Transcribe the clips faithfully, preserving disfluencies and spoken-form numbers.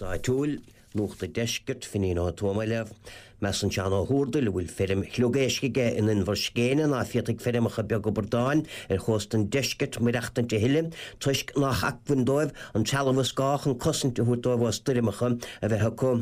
Áitiúil, Nuacht an Deiscirt, Finín Ó Tuama libh. Measann Seán Ó hÚrdail, a bhfuil feirm shliogeisc aige in Inbhir Scéine, ná féadfaidh feirmeacha beaga bradáin ar chósta an deiscirt maireachtaint a thuilleadh toisc nach acmhainn dóibh an trealamh is gá chun cosaint a thabhairt dóibh ó stoirmeacha a bheith acu.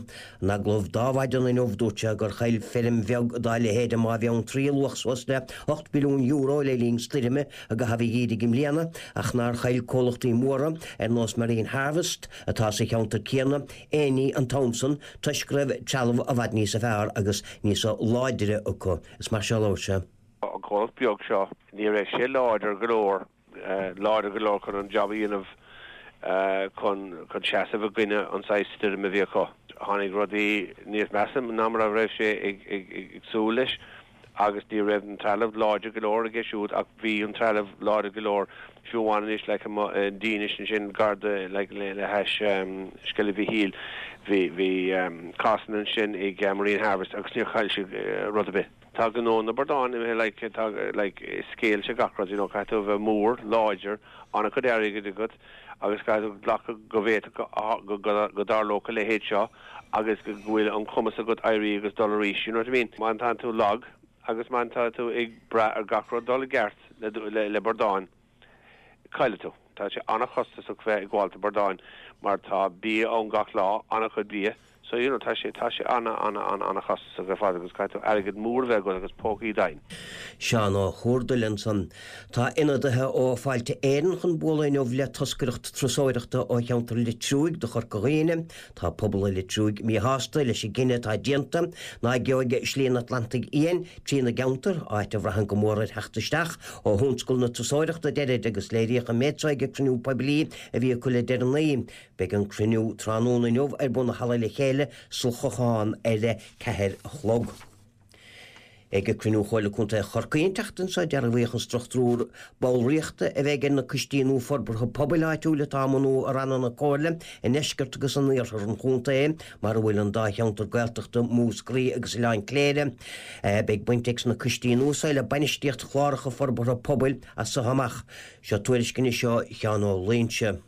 In agallamh d'Adhmhaidin inniu dúirt sé gur chaill feirm bheag dá leithéid i mBá Bheanntraí luach suas le ocht milliún euro le linn stoirme i gcaitheamh an gheimhridh i mbliana ach nár chaill comhlachtaí móra ar nós Marine Harvest atá sa cheantar céanna aon ní an t-am san toisc go raibh trealamh i bhfad níos fearr agus níos láidre acu. Is mar seo a labhair sé. An comhlacht beag seo ní raibh sé láidir go leor láidir go leor chun an job a dhéanamh chun chun seasamh i gcoinne an saghas stoirm a bhí acu. Tháinig rudaí níos measa ná mar a raibh sé ag ag ag súil leis agus ní raibh an trealamh láidir go leor aige siúd ach bhí an trealamh láidir go leor fiú amháin anois le Dínis ansin gar do le le hais Sceilg Mhichíl bhí bhí cásanna ansin ag Marine Harvest agus níor chaill siad rud ar bith. Tá gnó na bradán like tá like scéal se gach rud you know caithfidh tú a bheith mór láidir an-chuid airgid agat agus caithfidh tú glacadh go bhféadfadh go go dtarlódh a leithéid seo agus go bhfuil an cumas agat éirí agus dul arís you know what I mean? Má tá tú lag agus má tá tú ag brath ar gach rud dul i gceart le le, le bradáin caillfidh tú. Tá sé an-chostasach bheith ag gabháil bradáin mar tá bia ann gach lá an-chuid bia. So you know, tá sé tá sé an an an an-chostasach ar fad agus caithfidh tú airgead mór bheith agat agus pócaí dain. Seán Ó hÚrdail ansan. Tá ionadaithe ó Fáilte Éireann chun bualadh inniu le toscaireacht turasóireachta ó cheantar Leitriúigh do Chorca Dhuibhne, Tá pobal Leitriúigh míshásta leis an gcinneadh atá déanta ná gheobhaidh Slí an Atlantaigh Fhiáin trína gceantar, áit a bhraitheann go mór ar theacht isteach ó thionscal na turasóireachta deirid agus léiríodh an méid seo ag cruinniú poiblí a bhí acu le deireanaí. Beidh an cruinniú tráthnóna inniu ar bun i Halla Le Chéile sa Chlochán ar a ceathair a chlog. Ag cruinniú Chomhairle Contae Chorcaí an tseachtain seo dearbhaíodh an struchtúr ballraíochta a bheidh ar na coistí nua forbartha pobail áitiúil atá á mbunú i ranna na Comhairle i ndeisceart agus in iarthar an chontae, mar a bhfuil an dá cheantar Gaeltachta Múscraí agus Oileán Cléire. Beidh baint ag na coistí nua seo le bainistíocht chláracha forbartha pobail as seo amach. Seo tuairisc ó Sheán Ó Loingsigh.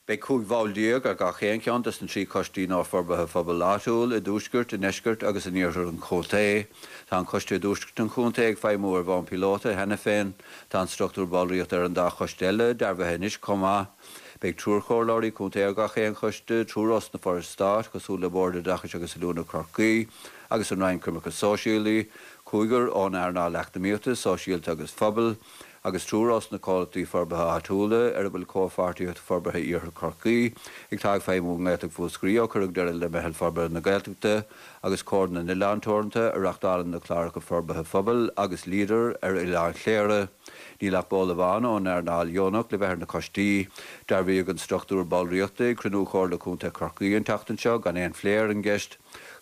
Beidh cúig bhall déag ar gach aon cheann des na trí choistí nua forbartha pobail áitiúil i dtuaisceart, i ndeisceart agus in iarthar an chontae. Tá an coiste i dtuaisceart an chontae ag feidhmiú ar bhonn píolóta cheana féin, Tá an struchtúr ballraíochta ar an dá choiste eile dearbhaithe anois chomh maith. Beidh triúr comhairleoirí contae ar gach aon choiste, triúr os na forais stáit, cosúil le Bord Oideachais agus Oiliúna Chorcaí, agus an Roinn Coimirce Sóisialaí, cúigear ón earnáil eacnamaíochta, sóisialta agus phobail, agus triúr os na comhlachtaí forbartha áitiúla ar a bhfuil Comhpháirtíocht Forbartha Iarthar Chorcaí ag tá ag feidhmiú i nGaeltacht Mhúscraí ó cuireadh deireadh le Meitheal Forbartha na Gaeltachta agus Comhar na nOileán Teoranta a reáchtálann na cláracha forbartha phobail agus Leader ar Oileán Chléire. Níl ach ball amháin ón earnáil dheonach le bheith ar na coistí. Dearbhaíodh an struchtúr ballraíochta ag cruinniú Chomhairle Contae Chorcaí an tseachtain seo gan aon phlé ar an gceist.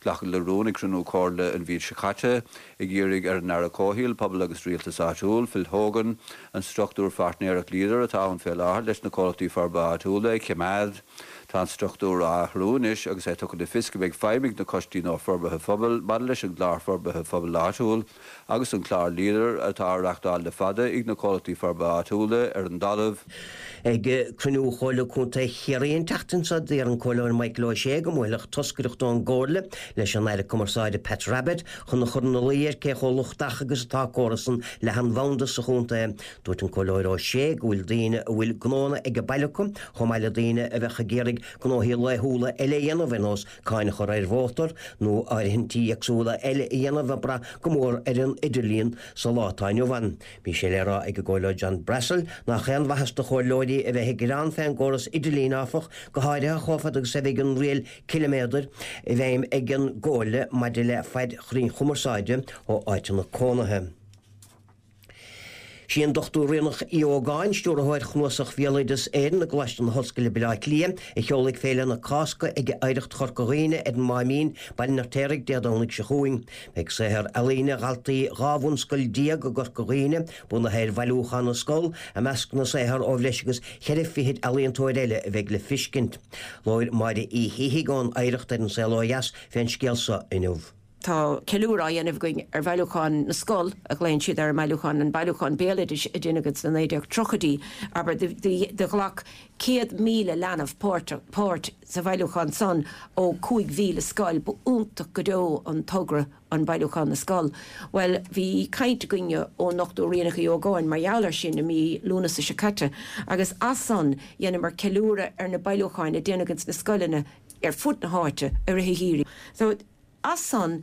Glacadh le rún ag cruinniú Comhairle an mhí seo caite ag iarraidh ar an Aire Comhshaoil, Pobal agus Rialtas Áitiúil, Phil Hogan, an struchtúr pháirtnéireacht Leader atá ann fé láthair leis na comhlachtaí forbartha áitiúla a choimeád. Tá an struchtúr á athrú anois agus é tugtha le fios go mbeidh feidhm ag na coistí nua forbartha phobail maidir leis an gclár forbartha phobail áitiúil agus an clár Leader atá á reáchtáil le fada ag na comhlachtaí forbartha áitiúla ar an dtalamh. Ag cruinniú Chomhairle Contae Chiarraí an tseachtain seo d'iarr an Comhairleoir Michael Ó Sé go mbuailfeadh toscaireacht ón gComhairle leis an Aire Cumarsáide Pat Rabbitte chun a chur ina luí air cé chomh lochtach agus atá córas an leathanbhanda sa chontae. Dúirt an Comhairleoir Ó Sé go bhfuil daoine a bhfuil gnónna ag baile acu chomh maith le daoine a bheadh ag iarraidh gnóthaí laethúla eile a dhéanamh ar nós cáin a chur ar mhótar nó áirithintí éagsúla eile a dhéanamh ag brath go mór ar an idirlíon sa lá atá inniu ann. Bhí sé le rá ag an gComhairleoir John Brassil nach aon mhaitheas do chomhairleoirí a bheith ag gearán fén gcóras idirlín áfach go háirithe chomh fada agus a bheidh an riail ciliméadair i bhfeidhm ag an gComhairle maidir le faid chruinn-chumarsáide ó áiteanna cónaithe. Sí an Dochtúir Ríonach Uí Ógáin, stiúrthóir Chnuasach Bhéaloideas Éireann i gColáiste na hOllscoile Baile Átha Cliath, a sheolfaidh Féile na Cásca ag Oidhreacht Chorca Dhuibhne ar an Máimín, Baile an Fheirtéaraigh Dé Domhnaigh seo chugainn. Beidh saothar ealaíne dhaltaí dhá bhunscoil déag i gCorca Dhuibhne, bunaithe ar bhailiúchán na scol, i measc na saothar ó bhreis agus ceithre fichid ealaíontóir eile a bheidh le feiscint. Labhair Máire Uí Shíthigh ón Oidhreacht ar An Saol Ó Dheas fén scéal seo inniu. Tá ceiliúradh á dhéanamh againn ar bhailiúchán na scol a ghlaonn siad ar an mbailiúchán an bailiúchán béaloidis a déanadh sna naoi déag tríochaidí abair do ghlac céad míle leanbh páirt páirt sa bhailiúchán san ó cúig mhíle scoil ba iontach go deo an togra an bailiúchán na scol. Well bhí caint againne ón nDochtúir Ríonach Uí Ógáin mar gheall air sin i mí Lúnasa seo caite agus as san dheineamar ceiliúradh ar na bailiúcháin a déanadh ins na scoileanna ar fud na háite i rith an gheimhridh. So as san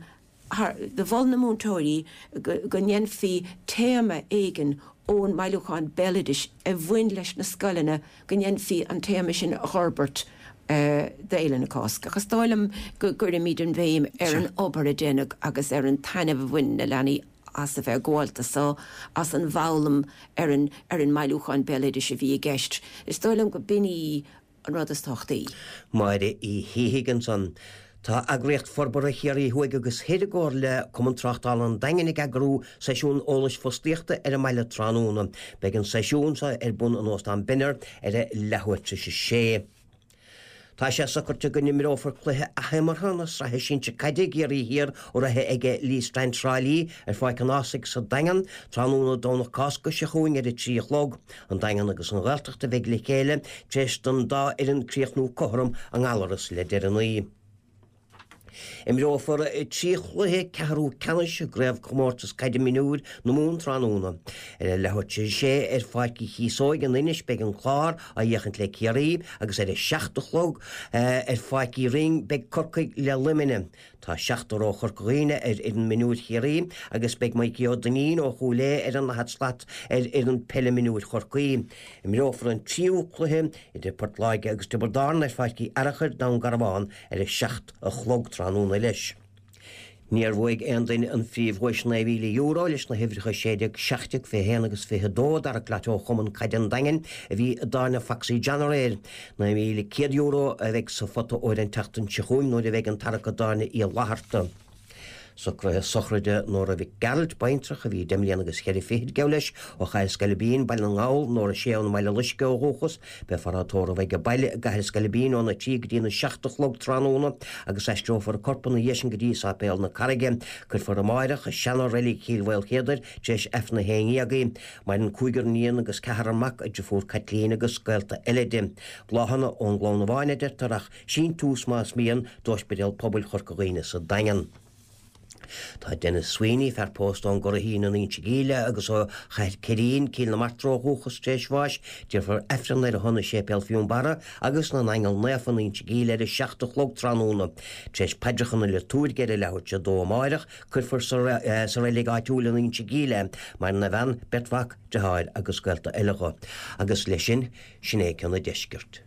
do mhol na múinteoirí go ndéanfaí téama éigin ón mbailiúchán béaloidis a bhain leis na scoileanna go ndéanfaí an téama sin a fhorbairt d'Fhéile na Cásca. Agus is dóigh liom go gcuirimid an bhéim ar an obair a déanadh agus ar an taitneamh a bhain na leanaí as a bheith gabhálta so as an bhfoghlaim ar an ar an mbailiúchán béaloidis a bhí i gceist. Is dóigh liom go b'in í an rud is tábhachtaí. Máire Uí Shíthigh ansan. Tá Eagraíocht Forbartha Chiarraí Thuaidh agus Thoir i gcomhar le Cumann Tráchtála an Daingin ag eagrú seisiún eolais fostaíochta ar an mbaile tráthnóna. Beidh an seisiún seo ar bun in Óstán Binner ar a leathuair tar éis a sé. Tá sé socraithe go n-imreofar cluiche athimeartha na Sraithe Sinsir Caide i gCiarraí Thiar urraithe ag Lee Strand Trá Lí ar Pháirc an Ághasaigh sa Daingean tráthnóna Domhnach Cásca seo chugainn ar a trí a chlog. An Daingean agus an Ghaeltacht a bheidh le chéile tar éis don dá fhoireann críochnú cothrom i nGallaras le deireanaí. Imreofar trí chluiche ceathrú ceannais i gCraobhchomórtas Caide Mionúir na Mumhan tráthnóna. Ar a leathuair tar éis a sé ar Pháirc Uí Chíosóig in Inis beidh an Clár á fhéachaint le Ciarraí agus ar a seacht a chlog ar Pháirc Uí Rinn beidh Corcaigh le Luimneach. Tá seachtar ó Chorca Dhuibhne ar fhoireann mionúir Chiarraí agus beidh Mikey Ó Duinnín ó Chúil Aodha ar an daichead slat ar fhoireann peile mionúir Chorcaí. Imreofar an tríú cluiche idir Port Láirge agus Tiobraid Árann ar Pháirc Uí Fhearachair, Dún Garbhán ar a seacht a chlog tráthnóna leis. Níor bhuaigh aon duine an phríomhdhuais naoi mhíle euro leis na huimhreacha sé déag, seacht déag, fiche haon agus fiche dó d'Tarrac Lotto Chumann Caide an Daingin a bhí i dtáirne Foxy John aréir. Naoi míle céad euro a bheidh sa phota óir an tseachtain seo chugainn nuair a bheidh an tarrac i dtáirne Uí Fhlatharta. Socruithe sochraide Nóra Mhic Gearailt, baintreach, a bhí deich mbliana agus cheithre fichid, gabh leis, ó Chathair Scailbín, Baile na nGall, Nóra Sé ón mBaile Loiscthe ó dhúchas. Beifear á tórramh age baile i gCathair Scailbín óna trí go dtína seacht a chlog tráthnóna agus aistreofar a corp ina dhiaidh sin go dtí Sáipéal na Carraige. Cuirfear amáireach i seana-reilig Chill Mhaoilchéadair tar éis Aifreann a haon dhéag í. Maireann cúigear iníon agus ceathrar mac, a deirfiúr Caitlín agus gaolta eile di. Bláthanna ón gclann amháin a deirtear ach síntiús más mian d'Ospidéal Pobail Chorca Dhuibhne sa Daingean. Tá Denis Sweeney, fear pósta ón gCurraichín in Inse Gile agus ó Chathair Ceirín, Cill na Martra ó dhúchas, tar éis bháis. Déarfar Aifreann ar a shon i Séipéal Fionnbarra agus na nAingeal Naofa in Inse Gile ar a seacht a chlog tráthnóna. Tar éis paidreacha na liotúirge ar a leathuair tar éis a dó amáireach, cuirfear sa reilig áitiúil in Inse Gile é. Maireann a bhean, beirt mhac, deartháir agus gaolta eile dho. Agus leis sin, sin é ceann an deiscirt.